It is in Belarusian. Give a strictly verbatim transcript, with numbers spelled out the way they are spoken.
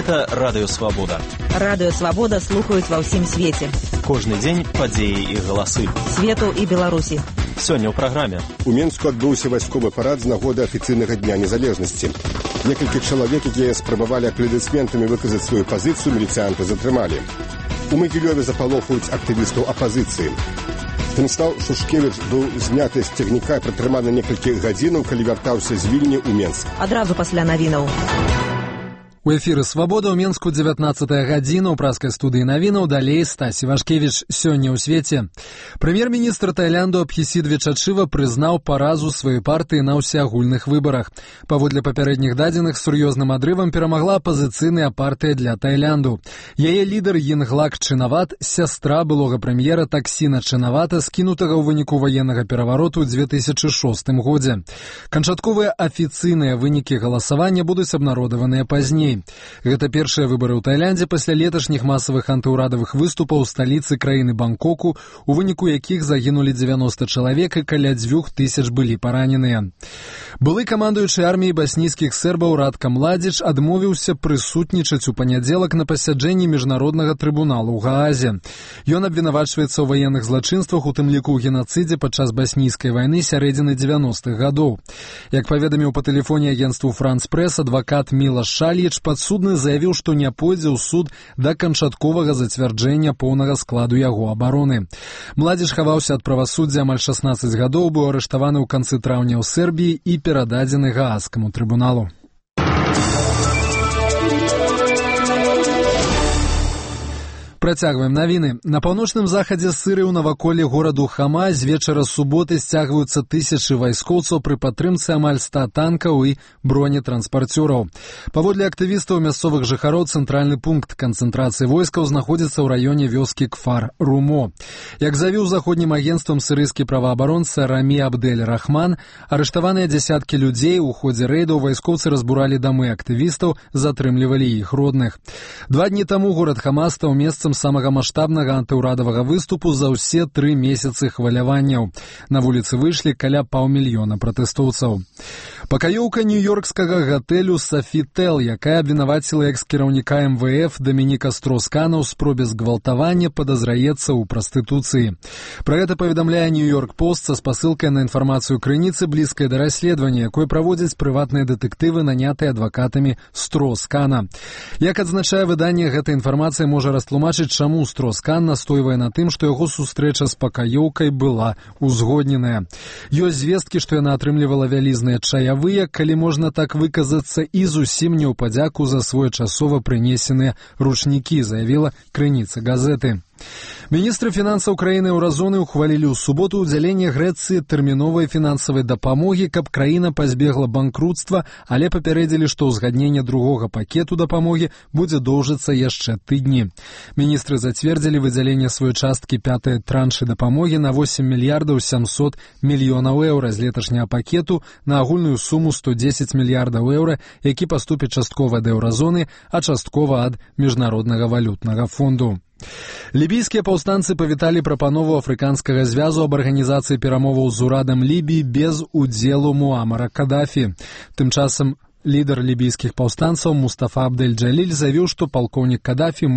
Гэта Радыё Свабода. Радыё Свабода слухаюць ва ўсім свеце. Кожны дзень падзеі і галасы. Свету і Беларусі. Сёння ў праграме. У Менску адбыўся вайсковы парад з нагоды афіцыйнага дня незалежнасці. Некалькі чалавек, якія спрабавалі апладысментамі выказаць сваю пазіцыю, міліцыянты затрымалі. У Магілёве запалохаюць актывістаў апазіцыі. Станіслав Шушкевіч быў зняты з цягніка і пратрыманы некалькі гадзінаў, калі вяртаўся з Вільні ў Менск. Адразу пасля навінаў. У эфіры «Свабода» ў Менску дзевятнаццатая гадзіна, ў праскай студыі навінаў, далей Стасі Вашкевіч. Сёння ў свеце. Прэм'ер-міністр Тайлянду Абхісідве Чачыва прызнаў паразу сваёй партыі на ўсеагульных выбарах. Паводле папярэдніх дадзеных, сур'ёзным адрывам перамагла апазіцыйная партыя для Тайлянду. Яе лідар Йінглак Чынават, сястра былога прэм'ера Таксіна Чынавата, скінутага ў выніку ваеннага перавароту ў дзве тысячы шостым годзе. Канчатковыя афіцыйныя вынікі галасавання будуць абнародаваныя пазней. Гэта першыя выбары ў Тайландзе пасля леташніх масавых антыўрадавых выступаў у сталіцы краіны Бангкоку, у выніку якіх загінулі дзевяноста чалавек і каля дзвюх тысяч былі параненыя. Былы камандуючы арміяй баснійскіх сербаў Радка Младзіч адмовіўся прысутнічаць у панядзелак на пасяджэнні міжнароднага трыбуналу ў Гаазе. Ён абвінавачваецца ў ваенных злачынствах, у тым ліку ў генацыдзе падчас баснійскай вайны сярэдзіны дзевяностых гадоў. Як паведаміў па тэлефоне агенцтву «Франц Прэс» адвакат Мілаш Шальіч, падсудны заявіў, што не пойдзе ў суд да канчатковага зацвярджэння поўнага складу яго абароны. Младзіч хаваўся ад правасуддзя амаль шаснаццаць гадоў, быў арыштаваны ў канцы траўня ў Сербіі і перададзены Гаагскаму трыбуналу. Працягваем навіны. На паўночным захадзе Сырыі ў наваколлі гораду Хама з вечара суботы сцягваюцца тысячы вайскоўцаў пры падтрымцы амаль ста танкаў і бронетранспарцёраў. Паводле актывістаў мясцовых жыхароў, цэнтральны пункт канцэнтрацыі войскаў знаходзіцца ў раёне вёскі Кфар-Румо. Як заявіў заходнім агенцтвам сірыйскі праваабаронца Рамі Абдель-Рахман, арыштаваныя дзясяткі людзей, у ходзе рэйдаў вайскоўцы разбуралі дамы актывістаў, затрымлівалі іх родных. Два дні таму горад Хама стаў месцам самага маштабнага антыўрадавага выступу за ўсе тры месяцы хваляванняў. На вуліцы выйшлі каля паўмільёна пратэстоўцаў. Пакаёўка нью-йоркскага гатэлю «Софітел», якая абвінаваціла экс-кіраўніка эм вэ эф Дамініка Строскана ў спробе згвалтавання, падазраецца ў прастытуцыі. Пра гэта паведамляе «Нью-Йорк Пост» са спасылкай на інфармацыю крыніцы, блізкай да расследавання, якое праводзяць прыватныя дэтэктывы, нанятыя адвакатамі Строскана. Як адзначае выданне, гэта інфармацыя можа растлумачыць, чаму Строскан настойвае на тым, што яго сустрэча з пакаёўкай была узгодненая. Ёсць звесткі, што яна атрымлівала вялізныя чаявыя, калі можна так выказацца, і зусім не ў падзяку за своечасова прынесеныя ручнікі, заявіла крыніца газеты. Міністры фінансаў краіны еўразоны ухвалілі ў суботу ўдзяленне Грэцыі тэрміновай фінансавай дапамогі, каб краіна пазбегла банкруцтва, але папярэдзілі, што ўзгадненне другога пакету дапамогі будзе доўжыцца яшчэ тыдні. Міністры зацвердзілі выдзяленне сваёй часткі пятай траншы дапамогі на восем мільярдаў сямсот мільёнаў еўра з леташняга пакету на агульную суму сто дзесяць мільярдаў еўра, які паступіць часткова да еўразоны, а часткова ад міжнароднага валютнага фонду. Лібійскія паўстанцы павіталі прапанову афрыканскага звязу аб арганізацыі перамоваў з урадам Лібіі без удзелу Муамара Кадафі. Тым часам лідар лібійскіх паўстанцаў Мустафа Абдель-Джаліль заявіў, што палкоўнік Кадафі